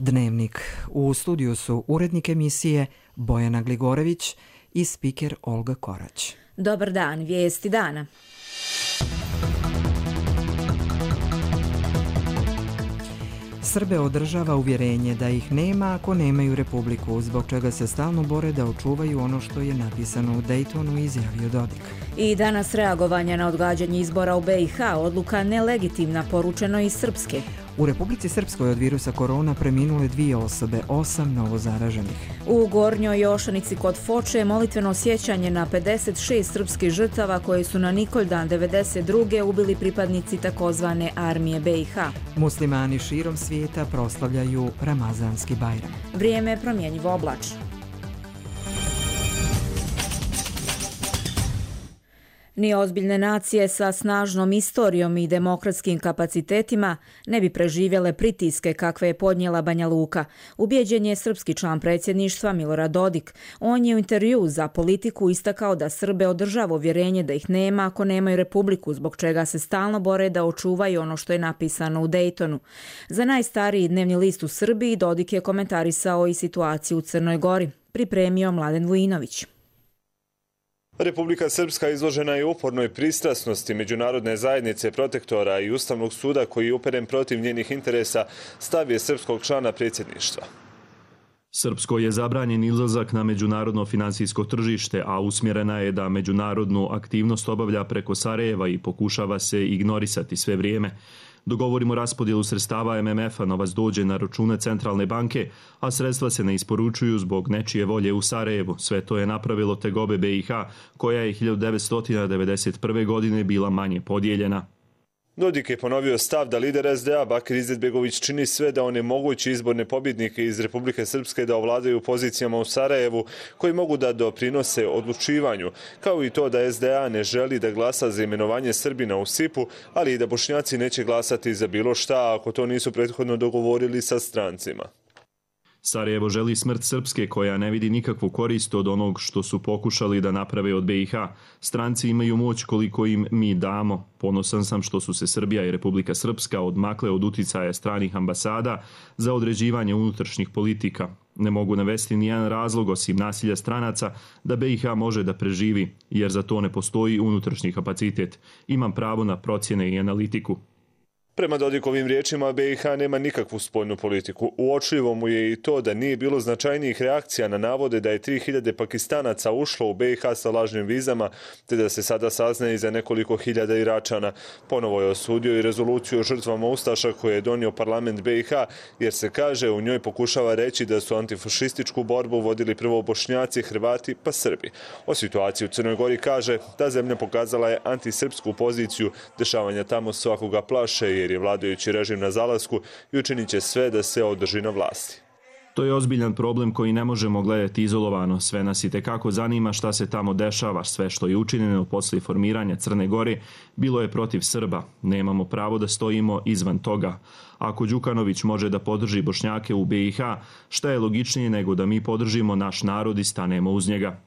Dnevnik. U studiju su urednik emisije Bojana Gligorević i spiker Olga Korać. Dobar dan, vijesti dana. Srbe održava uvjerenje da ih nema ako nemaju republiku, zbog čega se stalno bore da očuvaju ono što je napisano u Dejtonu, izjavio Dodik. I danas reagovanje na odgađanje izbora u BiH, odluka nelegitimna, poručeno iz Srpske. U Republici Srpskoj od virusa korona preminule 2 osobe, 8 novozaraženih. U Gornjoj Jošanici kod Foče molitveno sjećanje na 56 srpskih žrtava koje su na Nikoldan 92. ubili pripadnici takozvane armije BiH. Muslimani širom svijeta proslavljaju Ramazanski Bajram. Vrijeme je promjenjivo oblačno. Ni ozbiljne nacije sa snažnom istorijom i demokratskim kapacitetima ne bi preživjele pritiske kakve je podnijela Banja Luka. Ubijeđen je srpski član predsjedništva Milorad Dodik. On je u intervjuu za Politiku istakao da Srbe održava uvjerenje da ih nema ako nemaju republiku, zbog čega se stalno bore da očuvaju ono što je napisano u Dejtonu. Za najstariji dnevni list u Srbiji Dodik je komentarisao i situaciju u Crnoj Gori. Pripremio Mladen Vujinović. Republika Srpska izložena je upornoj pristrasnosti međunarodne zajednice, protektora i Ustavnog suda koji je uperen protiv njenih interesa, stav je srpskog člana predsjedništva. Srpskoj je zabranjen izlazak na međunarodno financijsko tržište, a usmjerena je da međunarodnu aktivnost obavlja preko Sarajeva i pokušava se ignorisati sve vrijeme. Dogovorimo raspodjelu sredstava MMF-a, novac dođe na račune centralne banke, a sredstva se ne isporučuju zbog nečije volje u Sarajevu. Sve to je napravilo tegobe BiH, koja je 1991. godine bila manje podijeljena. Dodik je ponovio stav da lider SDA Bakir Izetbegović čini sve da onemogući izborne pobjednike iz Republike Srpske da ovladaju pozicijama u Sarajevu koji mogu da doprinose odlučivanju, kao i to da SDA ne želi da glasa za imenovanje Srbina u SIP-u, ali i da Bošnjaci neće glasati za bilo šta ako to nisu prethodno dogovorili sa strancima. Sarajevo želi smrt Srpske koja ne vidi nikakvu korist od onog što su pokušali da naprave od BiH. Stranci imaju moć koliko im mi damo. Ponosan sam što su se Srbija i Republika Srpska odmakle od uticaja stranih ambasada za određivanje unutrašnjih politika. Ne mogu navesti nijedan razlog osim nasilja stranaca da BiH može da preživi, jer za to ne postoji unutrašnji kapacitet. Imam pravo na procjene i analitiku. Prema Dodikovim riječima, BiH nema nikakvu spoljnu politiku. Uočljivo mu je i to da nije bilo značajnijih reakcija na navode da je 3000 Pakistanaca ušlo u BiH sa lažnim vizama, te da se sada saznaje i za nekoliko hiljada Iračana. Ponovo je osudio i rezoluciju o žrtvama ustaša koje je donio parlament BiH, jer se kaže u njoj pokušava reći da su antifašističku borbu vodili prvo Bošnjaci, Hrvati pa Srbi. O situaciji u Crnoj Gori kaže da zemlja pokazala je antisrpsku poziciju, dešavanja tamo svakoga plaše jer je vladajući režim na zalasku i učinit će sve da se održi na vlasti. To je ozbiljan problem koji ne možemo gledati izolovano. Sve nas itekako zanima šta se tamo dešava. Sve što je učinjeno poslije formiranja Crne Gore bilo je protiv Srba. Nemamo pravo da stojimo izvan toga. Ako Đukanović može da podrži Bošnjake u BiH, šta je logičnije nego da mi podržimo naš narod i stanemo uz njega?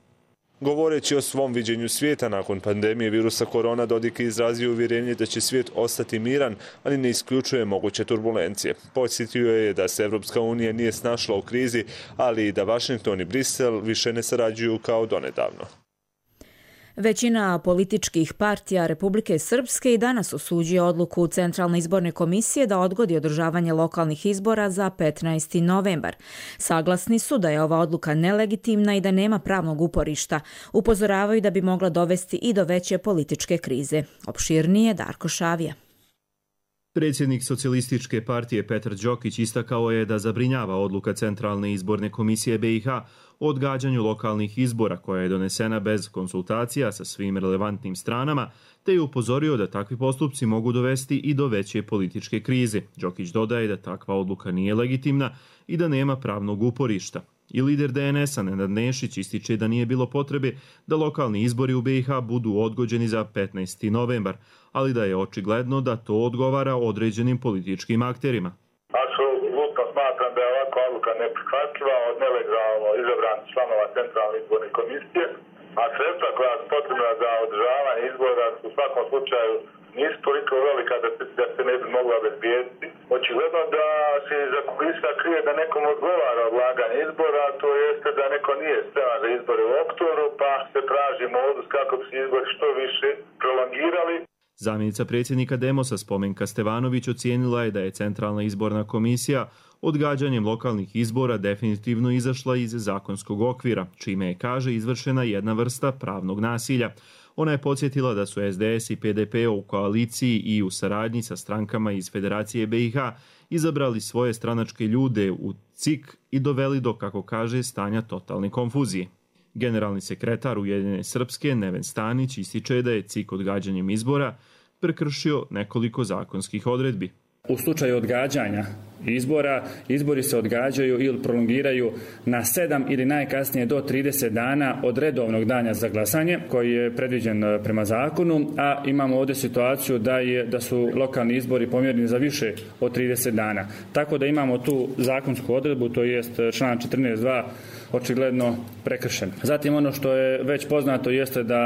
Govoreći o svom viđenju svijeta nakon pandemije virusa korona, Dodik je izrazio uvjerenje da će svijet ostati miran, ali ne isključuje moguće turbulencije. Podsjetio je da se Evropska unija nije snašla u krizi, ali i da Vašington i Brisel više ne sarađuju kao donedavno. Većina političkih partija Republike Srpske i danas osuđuje odluku Centralne izborne komisije da odgodi održavanje lokalnih izbora za 15. novembar. Saglasni su da je ova odluka nelegitimna i da nema pravnog uporišta. Upozoravaju da bi mogla dovesti i do veće političke krize. Opširnije Darko Šavija. Predsjednik Socijalističke partije Petar Đokić istakao je da zabrinjava odluka Centralne izborne komisije BiH o odgađanju lokalnih izbora koja je donesena bez konsultacija sa svim relevantnim stranama, te je upozorio da takvi postupci mogu dovesti i do veće političke krize. Đokić dodaje da takva odluka nije legitimna i da nema pravnog uporišta. I lider DNS-a Nenad Nešić ističe da nije bilo potrebe da lokalni izbori u BiH budu odgođeni za 15. novembar, ali da je očigledno da to odgovara određenim političkim akterima. Apsolutno smatram da je ovakva odluka neprihvatljiva od nelegalno izabranih članova Centralne izborne komisije, a sredstva koja su potrebna za održavanje izbora su u svakom slučaju nisu toliko velika da se ne bi mogla obezbijediti. Očigledno da se iza kulisa krije da nekom odgovara odlaganje izbora, to jeste da neko nije spreman za izbore u oktobru, pa se traži modus kako bi se izbori što više prolongirali. Zamjenica predsjednika Demosa Spomenka Stevanović ocijenila je da je Centralna izborna komisija odgađanjem lokalnih izbora definitivno izašla iz zakonskog okvira, čime je, kaže, izvršena jedna vrsta pravnog nasilja. Ona je podsjetila da su SDS i PDP u koaliciji i u saradnji sa strankama iz Federacije BiH izabrali svoje stranačke ljude u CIK i doveli do, kako kaže, stanja totalne konfuzije. Generalni sekretar Ujedinjene Srpske Neven Stanić ističe da je CIK odgađanjem izbora prekršio nekoliko zakonskih odredbi. U slučaju odgađanja izbora, izbori se odgađaju ili prolongiraju na 7 ili najkasnije do 30 dana od redovnog dana za glasanje koji je predviđen prema zakonu, a imamo ovdje situaciju da su lokalni izbori pomjereni za više od 30 dana. Tako da imamo tu zakonsku odredbu, to jest član 14.2 očigledno prekršen. Zatim ono što je već poznato jeste da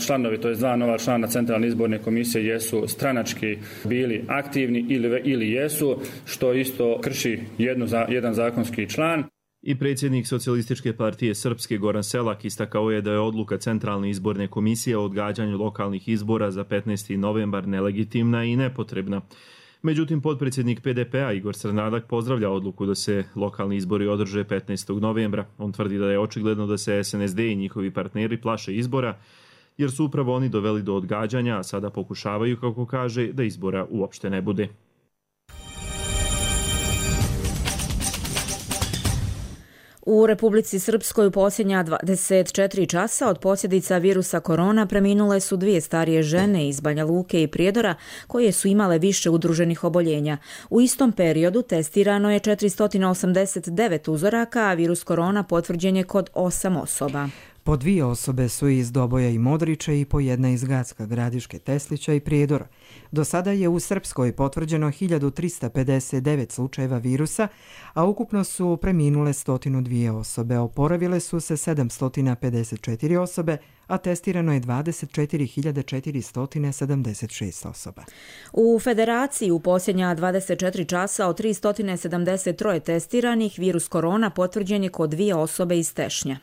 članovi, to je 2 nova člana Centralne izborne komisije jesu stranački bili aktivni ili jesu, što isto krši jedan zakonski član. I predsjednik Socijalističke partije Srpske Goran Selak istakao je da je odluka Centralne izborne komisije o odgađanju lokalnih izbora za 15. novembar nelegitimna i nepotrebna. Međutim, potpredsjednik PDP-a Igor Crnadak pozdravlja odluku da se lokalni izbori održe 15. novembra. On tvrdi da je očigledno da se SNSD i njihovi partneri plaše izbora, jer su upravo oni doveli do odgađanja, a sada pokušavaju, kako kaže, da izbora uopšte ne bude. U Republici Srpskoj u posljednja 24 časa od posljedica virusa korona preminule su 2 starije žene iz Banja Luke i Prijedora koje su imale više udruženih oboljenja. U istom periodu testirano je 489 uzoraka, a virus korona potvrđen je kod 8 osoba. Po 2 osobe su iz Doboja i Modrića i po 1 iz Gacka, Gradiške, Teslića i Prijedora. Do sada je u Srpskoj potvrđeno 1359 slučajeva virusa, a ukupno su preminule 102 osobe. Oporavile su se 754 osobe, a testirano je 24.476 osoba. U Federaciji u posljednja 24 časa od 373 testiranih virus korona potvrđen je kod 2 osobe iz Tešnja.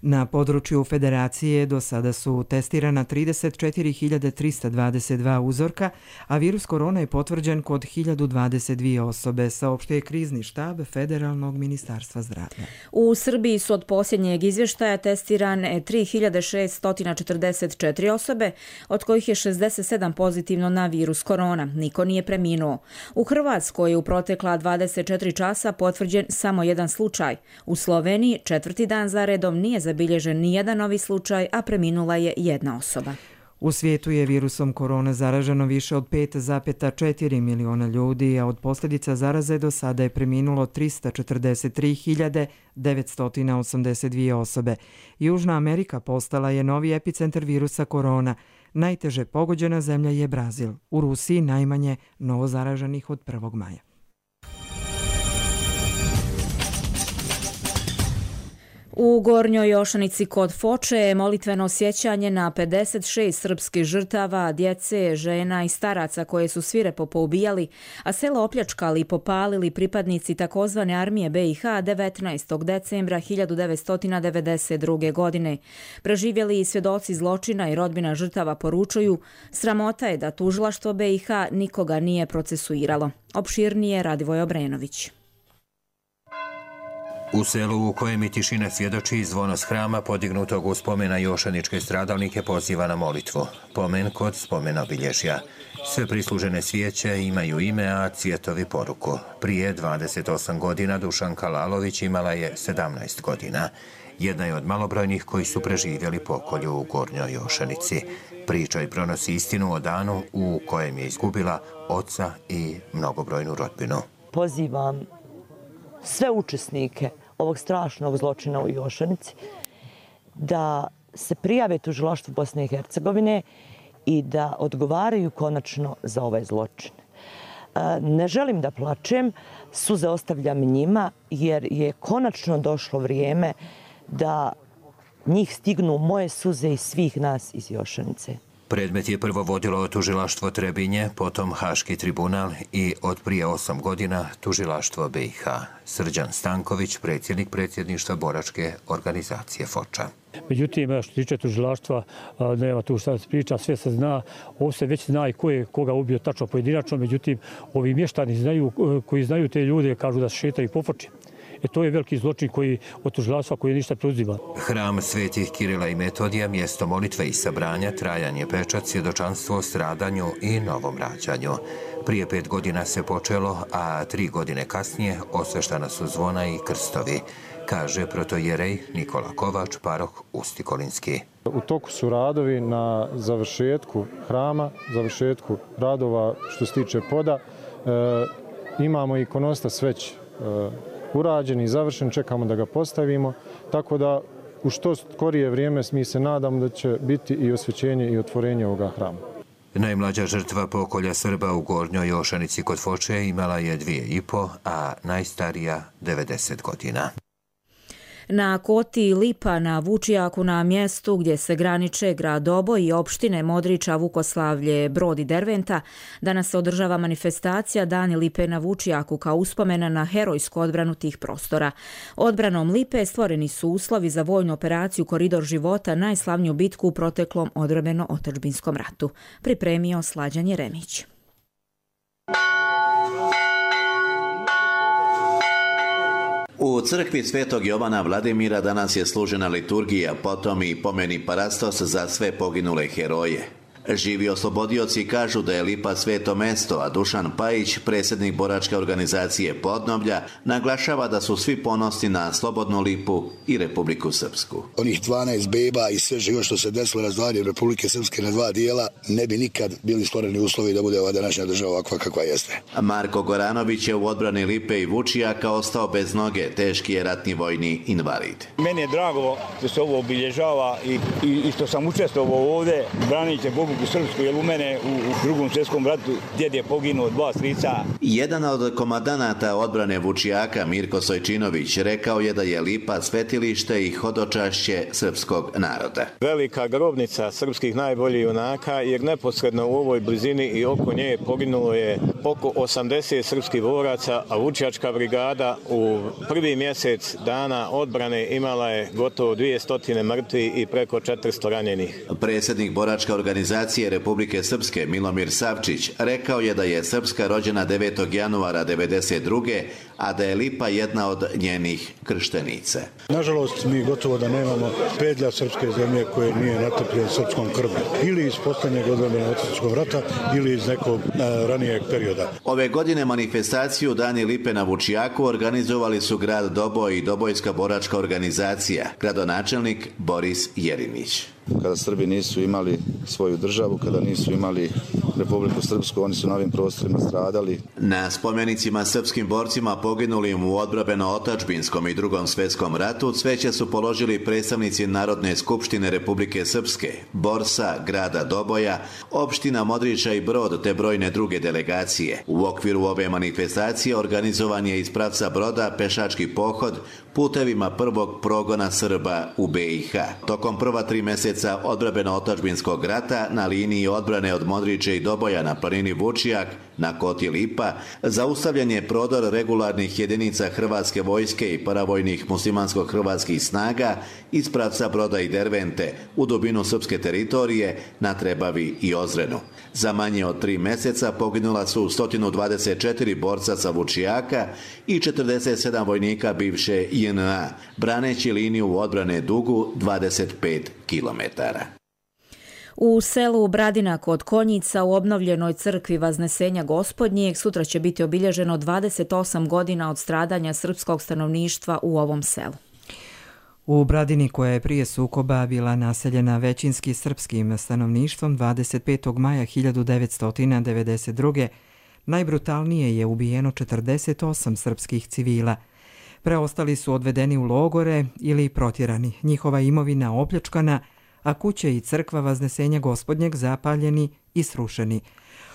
Na području Federacije do sada su testirana 34.322 uzorka, a virus korona je potvrđen kod 1022 osobe, saopštio je krizni štab Federalnog ministarstva zdravlja. U Srbiji su od posljednjeg izvještaja testirane 3.644 osobe, od kojih je 67 pozitivno na virus korona. Niko nije preminuo. U Hrvatskoj je u protekla 24 časa potvrđen samo 1 slučaj. U Sloveniji 4. dan za redom nije zabilježen nijedan novi slučaj, a preminula je 1 osoba. U svijetu je virusom korona zaraženo više od 5,4 miliona ljudi, a od posljedica zaraze do sada je preminulo 343.982 osobe. Južna Amerika postala je novi epicentar virusa korona. Najteže pogođena zemlja je Brazil. U Rusiji najmanje novozaraženih od 1. maja. U Gornjoj Jošanici kod Foče je molitveno sjećanje na 56 srpskih žrtava, djece, žena i staraca koje su svirepo poubijali, a selo opljačkali i popalili pripadnici takozvane armije BiH 19. decembra 1992. godine. Preživjeli i svjedoci zločina i rodbina žrtava poručuju, sramota je da tužilaštvo BiH nikoga nije procesuiralo. Opširnije Radivoj Obrenović. U selu u kojem i tišina svjedoči, zvono s hrama podignutog u spomena jošaničke stradalnike poziva na molitvu. Pomen kod spomena obilježja. Sve prislužene svijeće imaju ime, a cvjetovi poruku. Prije 28 godina Dušanka Lalović imala je 17 godina. Jedna je od malobrojnih koji su preživjeli pokolju u Gornjoj Jošanici. Priča i pronosi istinu o danu u kojem je izgubila oca i mnogobrojnu rodbinu. Pozivam sve učesnike ovog strašnog zločina u Jošanici da se prijave tužilaštvu Bosne i Hercegovine i da odgovaraju konačno za ovaj zločin. Ne želim da plačem, suze ostavljam njima jer je konačno došlo vrijeme da njih stignu moje suze i svih nas iz Jošanice. Predmet je prvo vodilo tužilaštvo Trebinje, potom Haški tribunal i od prije 8 godina tužilaštvo BiH. Srđan Stanković, predsjednik predsjedništva boračke organizacije Foča. Međutim, što se tiče tužilaštva, nema tu šta se priča, sve se zna. Ovo se već zna i ko je koga ubio tačno pojedinačno, međutim, ovi mještani koji znaju te ljude kažu da se šetaju po Foči. To je veliki zločin od tužilaštva koji ništa preuzima. Hram Svetih Kirila i Metodija, mjesto molitve i sabranja, trajanje pečat, svjedočanstvo o stradanju i novom rađanju. Prije 5 godina se počelo, a 3 godine kasnije osveštana su zvona i krstovi, kaže protojerej Nikola Kovač, paroh Ustikolinski. U toku su radovi na završetku hrama, završetku radova što se tiče poda. Imamo ikonostas već urađen i završen, čekamo da ga postavimo, tako da u što skorije vrijeme mi se nadamo da će biti i osvećenje i otvorenje ovoga hrama. Najmlađa žrtva pokolja Srba u Gornjoj Jošanici kod Foče imala je 2,5, a najstarija 90 godina. Na Koti Lipa na Vučijaku, na mjestu gdje se graniče grad Doboj i opštine Modriča, Vukoslavlje, Brod i Derventa, danas se održava manifestacija Dani Lipe na Vučijaku kao uspomena na herojsku odbranu tih prostora. Odbranom Lipe stvoreni su uslovi za vojnu operaciju Koridor života, najslavniju bitku u proteklom odbrambeno-otadžbinskom ratu. Pripremio Slađan Jeremić. U crkvi Svetog Jovana Vladimira danas je služena liturgija, potom i pomeni parastos za sve poginule heroje. Živi oslobodioci kažu da je Lipa sveto mesto, a Dušan Pajić, predsjednik boračke organizacije Podnoblja, naglašava da su svi ponosni na slobodnu Lipu i Republiku Srpsku. Onih 12 beba i sve živo što se desilo razdvajanjem Republike Srpske na 2 dijela, ne bi nikad bili stvoreni uslovi da bude ova današnja država ovakva kakva jeste. Marko Goranović je u odbrani Lipe i Vučijaka ostao bez noge, teški je ratni vojni invalid. Meni je drago što se ovo obilježava i što sam učestvovao ovdje, branit Republiku Srpsku, jer u mene u Drugom svjetskom ratu djed je poginuo 2 strica. Jedan od komandanata odbrane Vučijaka, Mirko Sojčinović, rekao je da je Lipa svetilište i hodočašće srpskog naroda. Velika grobnica srpskih najboljih junaka, jer neposredno u ovoj blizini i oko nje poginulo je oko 80 srpskih boraca, a Vučijačka brigada u prvi mjesec dana odbrane imala je gotovo 200 mrtvih i preko 400 ranjenih. Predsjednik boračke organizacije Republike Srpske Milomir Savčić rekao je da je Srpska rođena 9. januara 1992. a da je Lipa jedna od njenih krštenica. Nažalost, mi gotovo da nemamo pedlja srpske zemlje koje nije natrpljen srpskom krvlju. Ili iz posljednjeg odbrambeno-otadžbinskog rata ili iz nekog ranijeg perioda. Ove godine manifestaciju Dani Lipe na Vučijaku organizovali su grad Doboj i Dobojska boračka organizacija, gradonačelnik Boris Jerinić. Kada Srbi nisu imali svoju državu, kada nisu imali Republiku Srpsku, oni su na ovim prostorima stradali. Na spomenicima srpskim borcima poginulim u odbrambeno-otadžbinskom i Drugom svjetskom ratu cveće su položili predstavnici Narodne skupštine Republike Srpske, Borsa, grada Doboja, opština Modriča i Brod te brojne druge delegacije. U okviru ove manifestacije organizovan je iz pravca Broda pešački pohod putevima prvog progona Srba u BiH. Tokom prva 3 mjeseca odbrambeno-otadžbinskog rata na liniji odbrane od Modriče i Doboja na planini Vučijak na Koti Lipa zaustavljen je prodor regularnih jedinica Hrvatske vojske i paravojnih muslimansko-hrvatskih snaga iz pravca Broda i Dervente u dubinu srpske teritorije na Trebavi i Ozrenu. Za manje od 3 mjeseca poginula su 124 borca sa Vučijaka i 47 vojnika bivše JNA, braneći liniju odbrane dugu 25 kilometara. U selu Bradina kod Konjica u obnovljenoj crkvi Vaznesenja Gospodnjeg sutra će biti obilježeno 28 godina od stradanja srpskog stanovništva u ovom selu. U Bradini, koja je prije sukoba bila naseljena većinski srpskim stanovništvom, 25. maja 1992. najbrutalnije je ubijeno 48 srpskih civila. Preostali su odvedeni u logore ili protjerani, njihova imovina opljačkana, a kuće i crkva Vaznesenja Gospodnjeg zapaljeni i srušeni.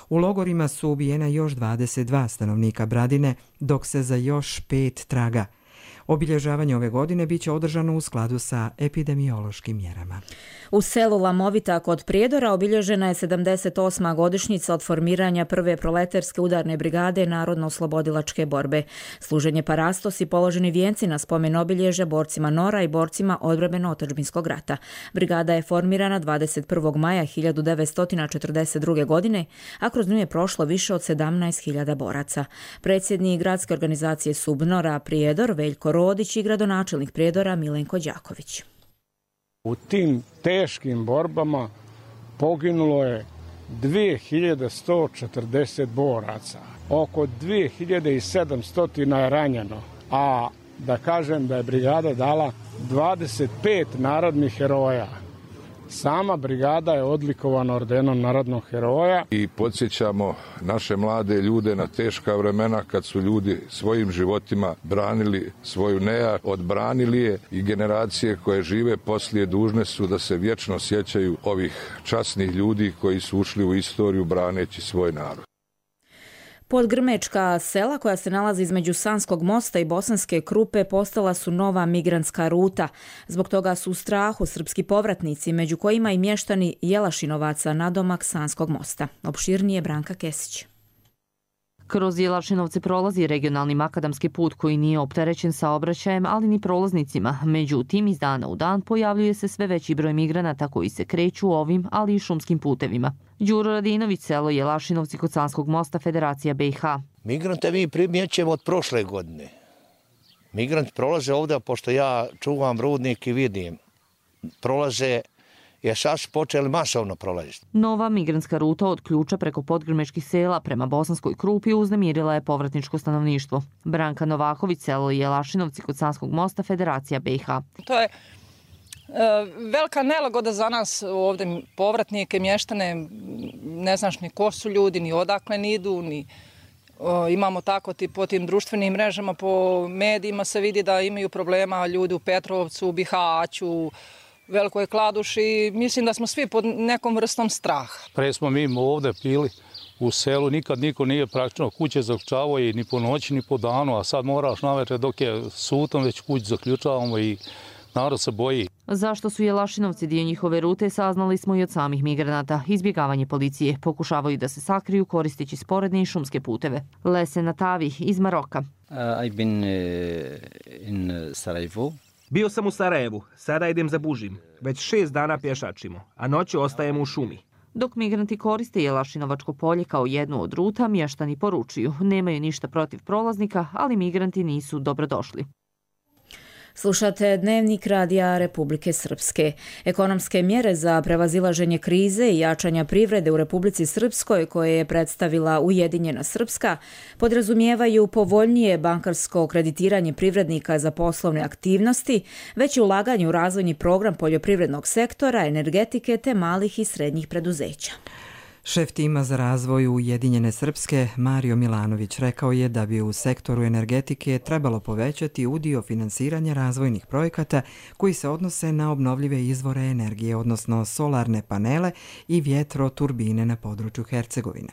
U logorima su ubijena još 22 stanovnika Bradine, dok se za još 5 traga. Obilježavanje ove godine biće održano u skladu sa epidemiološkim mjerama. U selu Lamovita kod Prijedora obilježena je 78. godišnjica od formiranja prve proleterske udarne brigade Narodno-oslobodilačke borbe. Služenje parastos i položeni vijenci na spomen obilježja borcima NOR-a i borcima odbrambeno-otadžbinskog rata. Brigada je formirana 21. maja 1942. godine, a kroz nju je prošlo više od 17.000 boraca. Predsjednik gradske organizacije SUBNOR-a Prijedor Veljko Rodić i gradonačelnik Prijedora Milenko Đaković. U tim teškim borbama poginulo je 2140 boraca, oko 2700 je ranjeno, a da kažem da je brigada dala 25 narodnih heroja. Sama brigada je odlikovana ordenom narodnog heroja. I podsjećamo naše mlade ljude na teška vremena kad su ljudi svojim životima branili svoju nejač, odbranili je i generacije koje žive poslije dužne su da se vječno sjećaju ovih časnih ljudi koji su ušli u istoriju braneći svoj narod. Podgrmečka sela koja se nalazi između Sanskog mosta i Bosanske Krupe postala su nova migrantska ruta. Zbog toga su u strahu srpski povratnici, među kojima i mještani Jelašinovaca nadomak Sanskog mosta. Opširnije Branka Kesić. Kroz Jelašinovce prolazi regionalni makadamski put koji nije opterećen saobraćajem, ali ni prolaznicima. Međutim, iz dana u dan pojavljuje se sve veći broj migranata koji se kreću ovim, ali i šumskim putevima. Đuro Radinović, selo Jelašinovci kod Sanskog mosta, Federacija BiH. Migrante mi primjećujemo od prošle godine. Migranti prolaze ovdje, pošto ja čuvam rudnik i vidim. Prolaze, jer sad su počeli masovno prolaziti. Nova migrantska ruta od Ključa preko podgrmečkih sela prema Bosanskoj Krupi uznemirila je povratničko stanovništvo. Branka Novaković, selo Jelašinovci kod Sanskog mosta, Federacija BiH. To je velika nelagoda za nas ovdje povratnike, mještane, ne znaš ni ko su ljudi, ni odakle ni idu, ni imamo tako po tim društvenim mrežama, po medijima se vidi da imaju problema ljudi u Petrovcu, u Bihaću, Velikoj Kladuši. Mislim da smo svi pod nekom vrstom straha. Pre smo mi ovdje pili u selu, nikad niko nije praktično kuće zaključavao i ni po noći ni po danu, a sad moraš navečer dok je sutom već kuć zaključavamo i narod se boji. Zašto su Jelašinovci dio njihove rute saznali smo i od samih migranata. Izbjegavanje policije, pokušavaju da se sakriju koristeći sporedne i šumske puteve. Lese Natavi iz Maroka. I've been in Sarajevo. Bio sam u Sarajevu, sada idem za Bužim. Već 6 dana pješačimo, a noću ostajemo u šumi. Dok migranti koriste Jelašinovačko polje kao jednu od ruta, mještani poručuju. Nemaju ništa protiv prolaznika, ali migranti nisu dobrodošli. Slušate Dnevnik Radija Republike Srpske. Ekonomske mjere za prevazilaženje krize i jačanja privrede u Republici Srpskoj, koje je predstavila Ujedinjena Srpska, podrazumijevaju povoljnije bankarsko kreditiranje privrednika za poslovne aktivnosti, veće ulaganje u razvojni program poljoprivrednog sektora, energetike te malih i srednjih preduzeća. Šef tima za razvoj Ujedinjene Srpske, Mario Milanović, rekao je da bi u sektoru energetike trebalo povećati udio finansiranja razvojnih projekata koji se odnose na obnovljive izvore energije, odnosno solarne panele i vjetroturbine na području Hercegovine.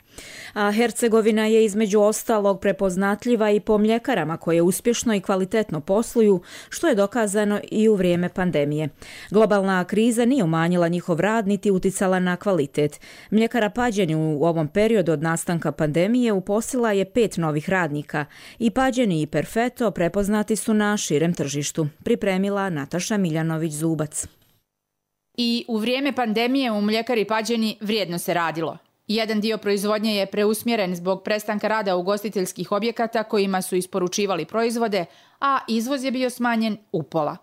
A Hercegovina je između ostalog prepoznatljiva i po mljekarama koje uspješno i kvalitetno posluju, što je dokazano i u vrijeme pandemije. Globalna kriza nije umanjila njihov rad niti uticala na kvalitet. Mljekara Pađeni u ovom periodu od nastanka pandemije uposlila je 5 novih radnika i Pađeni i Perfetto prepoznati su na širem tržištu, pripremila Nataša Miljanović-Zubac. I u vrijeme pandemije u mljekari Pađeni vrijedno se radilo. Jedan dio proizvodnje je preusmjeren zbog prestanka rada ugostiteljskih objekata kojima su isporučivali proizvode, a izvoz je bio smanjen upola.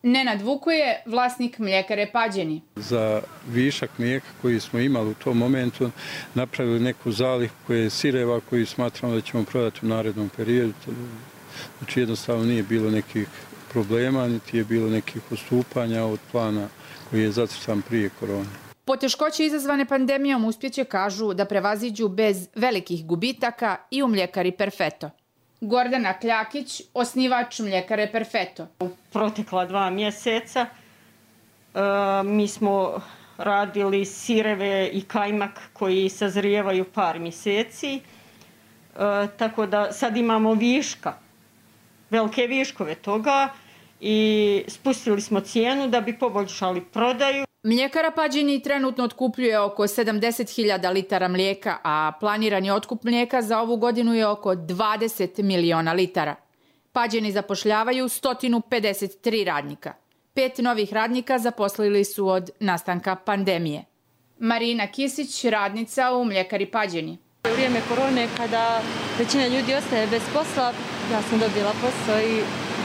Nenad Vukuje, vlasnik mljekare Pađeni. Za višak mlijeka koji smo imali u tom momentu napravili neku zalihu koje je sireva koju smatramo da ćemo prodati u narednom periodu. Znači jednostavno nije bilo nekih problema, niti je bilo nekih odstupanja od plana koji je zacrtan prije korone. Poteškoće izazvane pandemijom uspjeće, kažu, da prevaziđu bez velikih gubitaka i u mljekari Perfetto. Gordana Kljakić, osnivač mljekare Perfetto. U protekla 2 mjeseca mi smo radili sireve i kajmak koji sazrijevaju par mjeseci, tako da sad imamo viška velike viškove toga i spustili smo cijenu da bi poboljšali prodaju. Mljekara Pađeni trenutno otkupljuje oko 70.000 litara mlijeka, a planirani otkup mlijeka za ovu godinu je oko 20 miliona litara. Pađeni zapošljavaju 153 radnika. 5 novih radnika zaposlili su od nastanka pandemije. Marina Kisić, radnica u mljekari Pađeni. U vrijeme korone, kada većina ljudi ostaje bez posla, ja sam dobila posao i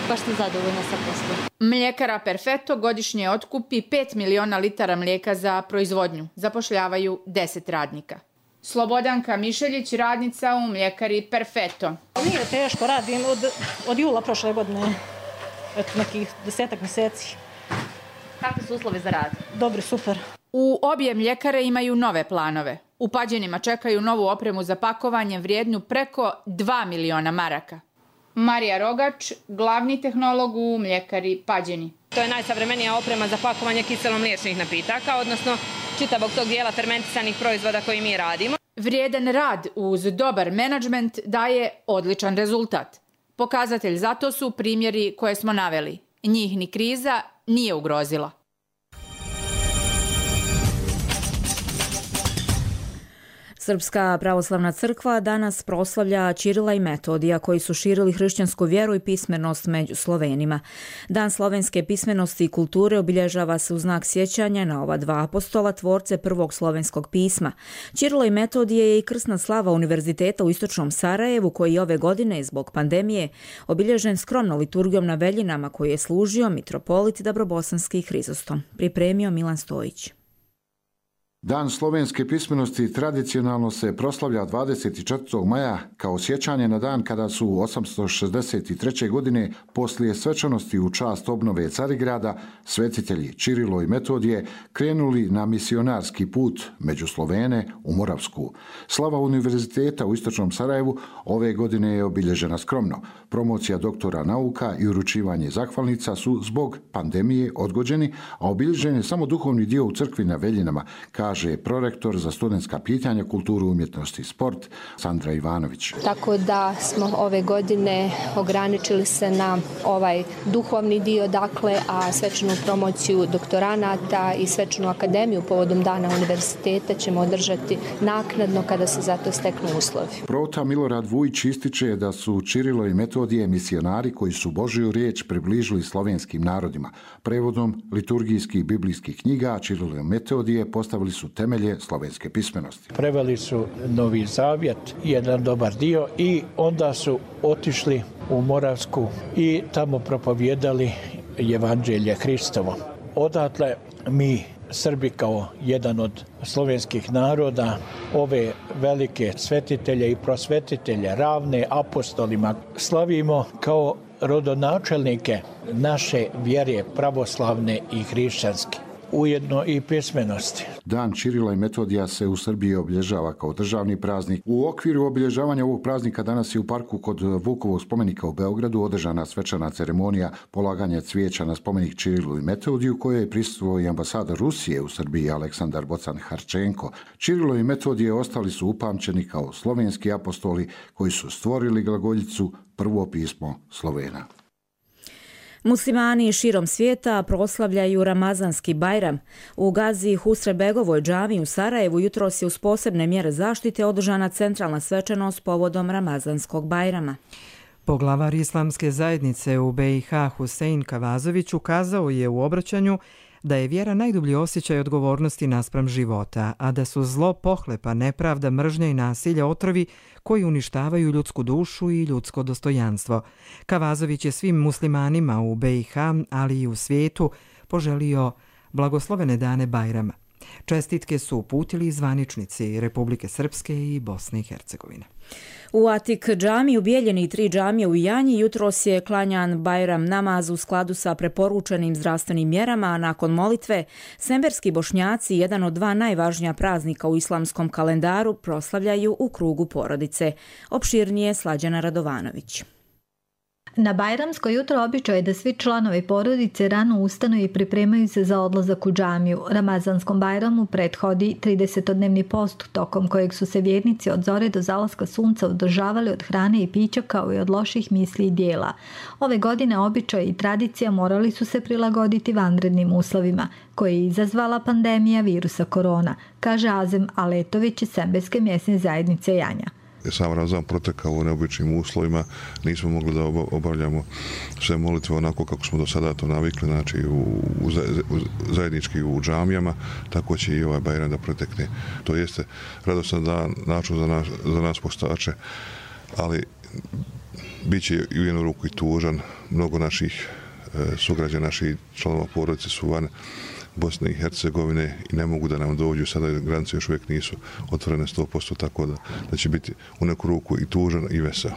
baš sam zadovoljna sa poslom. Mljekara Perfetto godišnje otkupi 5 miliona litara mlijeka za proizvodnju. Zapošljavaju 10 radnika. Slobodanka Mišeljić, radnica u mljekari Perfetto. Nije teško, radim od jula prošle godine, nekih 10 mjeseci. Kakvi su uslovi za rad? Dobri, super. U obje mljekare imaju nove planove. U Pađenima čekaju novu opremu za pakovanje vrijednu preko 2 miliona maraka. Marija Rogač, glavni tehnolog u mljekari Pađeni. To je najsavremenija oprema za pakovanje kiselomliječnih napitaka, odnosno čitavog tog dijela fermentisanih proizvoda koji mi radimo. Vrijedan rad uz dobar menadžment daje odličan rezultat. Pokazatelj za to su primjeri koje smo naveli. Njih ni kriza nije ugrozila. Srpska pravoslavna crkva danas proslavlja Ćirila i Metodija koji su širili hrišćansku vjeru i pismenost među Slovenima. Dan slovenske pismenosti i kulture obilježava se u znak sjećanja na ova dva apostola, tvorce prvog slovenskog pisma. Ćirilo i Metodije je i krsna slava Univerziteta u istočnom Sarajevu koji ove godine zbog pandemije obilježen skromnom liturgijom na Veljinama koji je služio mitropolit Dabrobosanski Hrizostom. Pripremio Milan Stojić. Dan slovenske pismenosti tradicionalno se proslavlja 24. maja kao sjećanje na dan kada su 863. godine poslije svečanosti u čast obnove Carigrada svetitelji Ćirilo i Metodije krenuli na misionarski put među Slovene u Moravsku. Slava Univerziteta u istočnom Sarajevu ove godine je obilježena skromno. Promocija doktora nauka i uručivanje zahvalnica su zbog pandemije odgođeni, a obilježen je samo duhovni dio u crkvi na Veljinama, kaže prorektor za studentska pitanja, kulturu, umjetnost i sport Sandra Ivanović. Tako da smo ove godine ograničili se na ovaj duhovni dio, a svečanu promociju doktoranata i svečanu akademiju povodom Dana univerziteta ćemo održati naknadno kada se za to steknu uslovi. Prota Milorad Vujić ističe da su Ćirilo i Metodije misionari koji su Božju riječ približili slovenskim narodima. Prevodom liturgijskih biblijskih knjiga Ćirilo i Metodije postavili su temelje slovenske pismenosti. Preveli su Novi Zavjet, jedan dobar dio, i onda su otišli u Moravsku i tamo propovijedali Evanđelje Hristovo. Odatle mi, Srbi, kao jedan od slovenskih naroda, ove velike svetitelje i prosvetitelje, ravne apostolima, slavimo kao rodonačelnike naše vjere pravoslavne i hrišćanske, ujedno i pismenosti. Dan Ćirila i Metodija se u Srbiji obilježava kao državni praznik. U okviru obilježavanja ovog praznika danas je u parku kod Vukovog spomenika u Beogradu održana svečana ceremonija polaganja cvijeća na spomenik Ćirilu i Metodiju, kojoj je prisustvovao i ambasador Rusije u Srbiji Aleksandar Bocan-Harčenko. Ćirilo i Metodije ostali su upamćeni kao slovenski apostoli koji su stvorili glagoljicu, prvo pismo Slovena. Muslimani širom svijeta proslavljaju Ramazanski Bajram. U Gazi Husrebegovoj džami u Sarajevu jutros je uz posebne mjere zaštite održana centralna svečanost povodom Ramazanskog Bajrama. Poglavar Islamske zajednice u BiH Husein Kavazović ukazao je u obraćanju da je vjera najdublji osjećaj odgovornosti naspram života, a da su zlo, pohlepa, nepravda, mržnja i nasilje otrovi koji uništavaju ljudsku dušu i ljudsko dostojanstvo. Kavazović je svim muslimanima u BiH, ali i u svijetu, poželio blagoslovene dane Bajrama. Čestitke su uputili zvaničnici Republike Srpske i Bosne i Hercegovine. U Atik džami u Bijeljini i 3 džamije u Janji jutros je klanjan Bajram namaz u skladu sa preporučenim zdravstvenim mjerama, a nakon molitve semberski Bošnjaci, jedan od 2 najvažnija praznika u islamskom kalendaru, proslavljaju u krugu porodice. Opširnije Slađana Radovanović. Na Bajramsko jutro običaj je da svi članovi porodice rano ustanu i pripremaju se za odlazak u džamiju. Ramazanskom Bajramu prethodi 30-dnevni post tokom kojeg su se vjernici od zore do zalaska sunca održavali od hrane i pića kao i od loših misli i dijela. Ove godine običaj i tradicija morali su se prilagoditi vanrednim uslovima koje je izazvala pandemija virusa korona, kaže Azem Aletović iz Sembeske mjesne zajednice Janja. Sam Ramazan protekao u neobičnim uslovima, nismo mogli da obavljamo sve molitve onako kako smo do sada to navikli, znači zajednički u džamijama, tako će i ovaj Bajram da protekne. To jeste radostan dan, način za nas postače, ali bit će u jednu ruku i tužan. Mnogo naših sugrađana, naših članova porodice su van Bosne i Hercegovine i ne mogu da nam dođu, sada granice još uvijek nisu otvorene 100%, tako da će biti u neku ruku i tužan i veseo.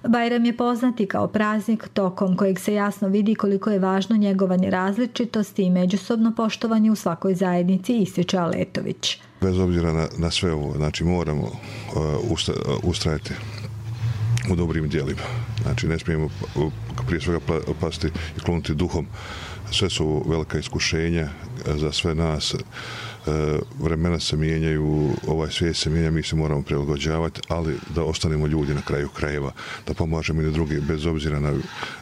Bajram je poznati kao praznik tokom kojeg se jasno vidi koliko je važno njegovanje različitosti i međusobno poštovanje u svakoj zajednici, ističe Aletović. Bez obzira na sve ovo, znači moramo ustrajati u dobrim djelima. Znači ne smijemo prije svega pasti i klonuti duhom. Sve su velika iskušenja za sve nas. Vremena se mijenjaju, ovaj svijet se mijenja, mi se moramo prilagođavati, ali da ostanemo ljudi na kraju krajeva, da pomažemo i drugi, bez obzira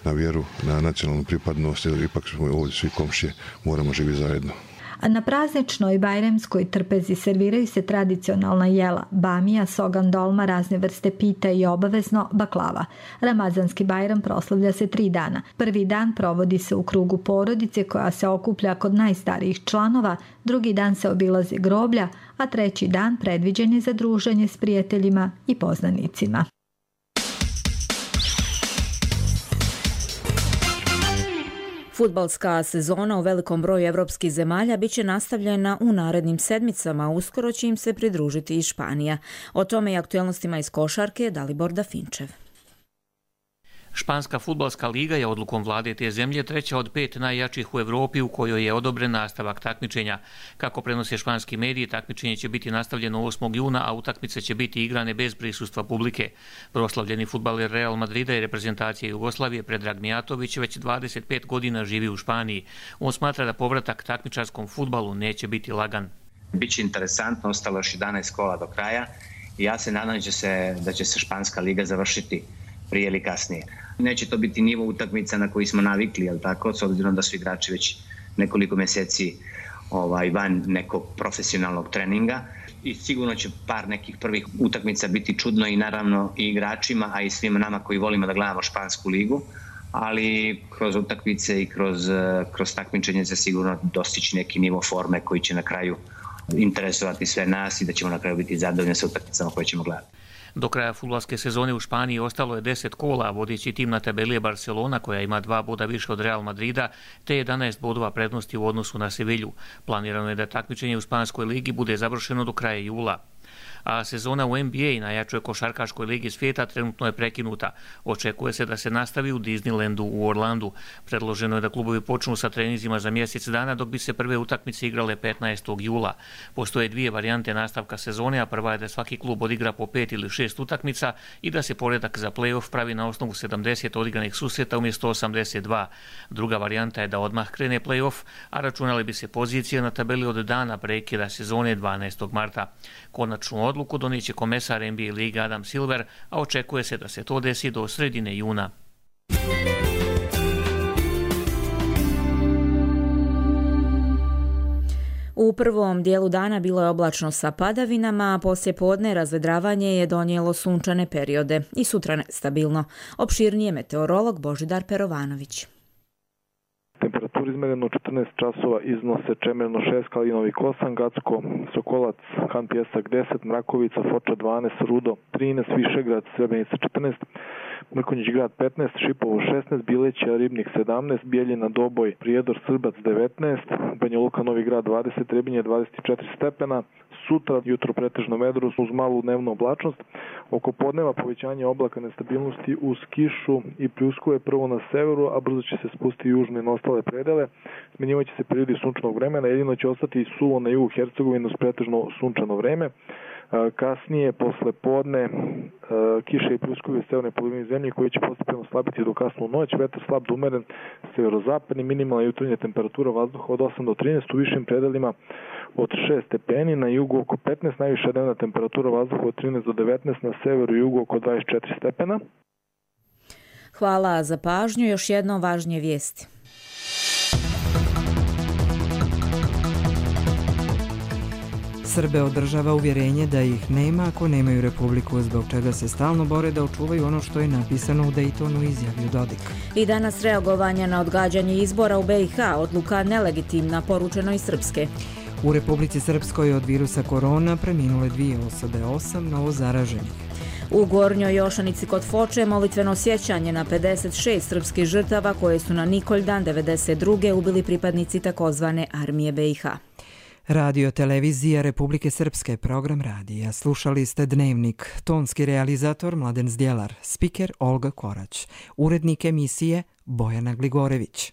na vjeru, na nacionalnu pripadnost, jer ipak smo ovdje svi komšije, moramo živjeti zajedno. A na prazničnoj bajramskoj trpezi serviraju se tradicionalna jela, bamija, sogan, dolma, razne vrste pita i obavezno baklava. Ramazanski Bajram proslavlja se 3 dana. Prvi dan provodi se u krugu porodice koja se okuplja kod najstarijih članova, drugi dan se obilazi groblja, a treći dan predviđen je za druženje s prijateljima i poznanicima. Fudbalska sezona u velikom broju evropskih zemalja biće nastavljena u narednim sedmicama, uskoro će im se pridružiti i Španija. O tome i aktualnostima iz košarke Dalibor Dafinčev. Španska fudbalska liga je odlukom vlade te zemlje treća od 5 najjačih u Evropi u kojoj je odobren nastavak takmičenja. Kako prenose španski mediji, takmičenje će biti nastavljeno 8. juna, a utakmice će biti igrane bez prisustva publike. Proslavljeni fudbaler Real Madrida i reprezentacije Jugoslavije Predrag Mijatović već 25 godina živi u Španiji. On smatra da povratak takmičarskom fudbalu neće biti lagan. Biće interesantno, ostalo još 11 kola do kraja i ja se nadam da će se španska liga završiti prije ili kasnije. Neće to biti nivo utakmica na koji smo navikli, jel tako, s obzirom da su igrači već nekoliko mjeseci van nekog profesionalnog treninga i sigurno će par nekih prvih utakmica biti čudno i naravno i igračima, a i svima nama koji volimo da gledamo špansku ligu, ali kroz utakmice i kroz takmičenje se sigurno dostići neki nivo forme koji će na kraju interesovati sve nas i da ćemo na kraju biti zadovoljni sa utakmicama koje ćemo gledati. Do kraja fudbalske sezone u Španiji ostalo je 10 kola, vodeći tim na tabeli je Barcelona koja ima 2 boda više od Real Madrida te 11 bodova prednosti u odnosu na Sevilju. Planirano je da takmičenje u Španskoj ligi bude završeno do kraja jula. A sezona u NBA, najjačoj košarkaškoj ligi svijeta, trenutno je prekinuta. Očekuje se da se nastavi u Disneylandu u Orlandu. Predloženo je da klubovi počnu sa treninzima za mjesec dana, dok bi se prve utakmice igrale 15. jula. Postoje 2 varijante nastavka sezone, a prva je da svaki klub odigra po 5 ili 6 utakmica i da se poredak za play-off pravi na osnovu 70 odigranih susreta umjesto 82. Druga varijanta je da odmah krene play-off, a računali bi se pozicije na tabeli od dana prekida sezone 12. marta. Konačnu odluku donijeće komesar NBA lige Adam Silver, a očekuje se da se to desi do sredine juna. U prvom dijelu dana bilo je oblačno sa padavinama, a poslije podne razvedravanje je donijelo sunčane periode i sutra nestabilno. Opširnije meteorolog Božidar Perovanović. Temperatura izmereno 14 časova iznose Čemerno 6, Kalinovik 8, Gacko, Sokolac, Han Pjesak 10, Mrakovica, Foča 12, Rudo 13, Višegrad, Srebrenica 14, Mrkonjić grad 15, Šipovo 16, Bileća, Ribnik 17, Bijeljina, Doboj, Prijedor, Srbac 19, Banja Luka, Novi grad 20, Trebinje 24 stepena. Sutra jutro pretežno vedro uz malu dnevnu oblačnost. Oko podneva povećanje oblaka nestabilnosti uz kišu i pljuskove prvo na severu, a brzo će se spustiti južno i na ostale predele. Smenjivat će se periodi sunčanog vremena, jedino će ostati suvo na jugu Hercegovine uz pretežno sunčano vreme. Kasnije, posle podne, kiše i pljuskovi u severnoj polovini zemlje koji će postepeno slabiti do kasnu noć, vetar slab do umeren, severozapadni, minimalna jutarnja temperatura vazduha od 8 do 13, u višim predelima od 6 stepeni, na jugu oko 15, najviša dnevna temperatura vazduha od 13 do 19, na severu i jugu oko 24 stepena. Hvala za pažnju, još jednom važnije vijesti. Srbe održava uvjerenje da ih nema ako nemaju republiku, zbog čega se stalno bore da očuvaju ono što je napisano u Dejtonu, izjavio Dodik. I danas reagovanja na odgađanje izbora u BiH, odluka nelegitimna, poručeno iz Srpske. U Republici Srpskoj od virusa korona preminule 2 osobe, 8 novozaraženih. U Gornjoj Jošanici kod Foče molitveno sjećanje na 56 srpskih žrtava koje su na Nikoldan 92. ubili pripadnici takozvane armije BiH. Radio televizija Republike Srpske, program radija. Slušali ste Dnevnik. Tonski realizator Mladen Zdjelar, spiker Olga Korać, urednik emisije Bojana Gligorević.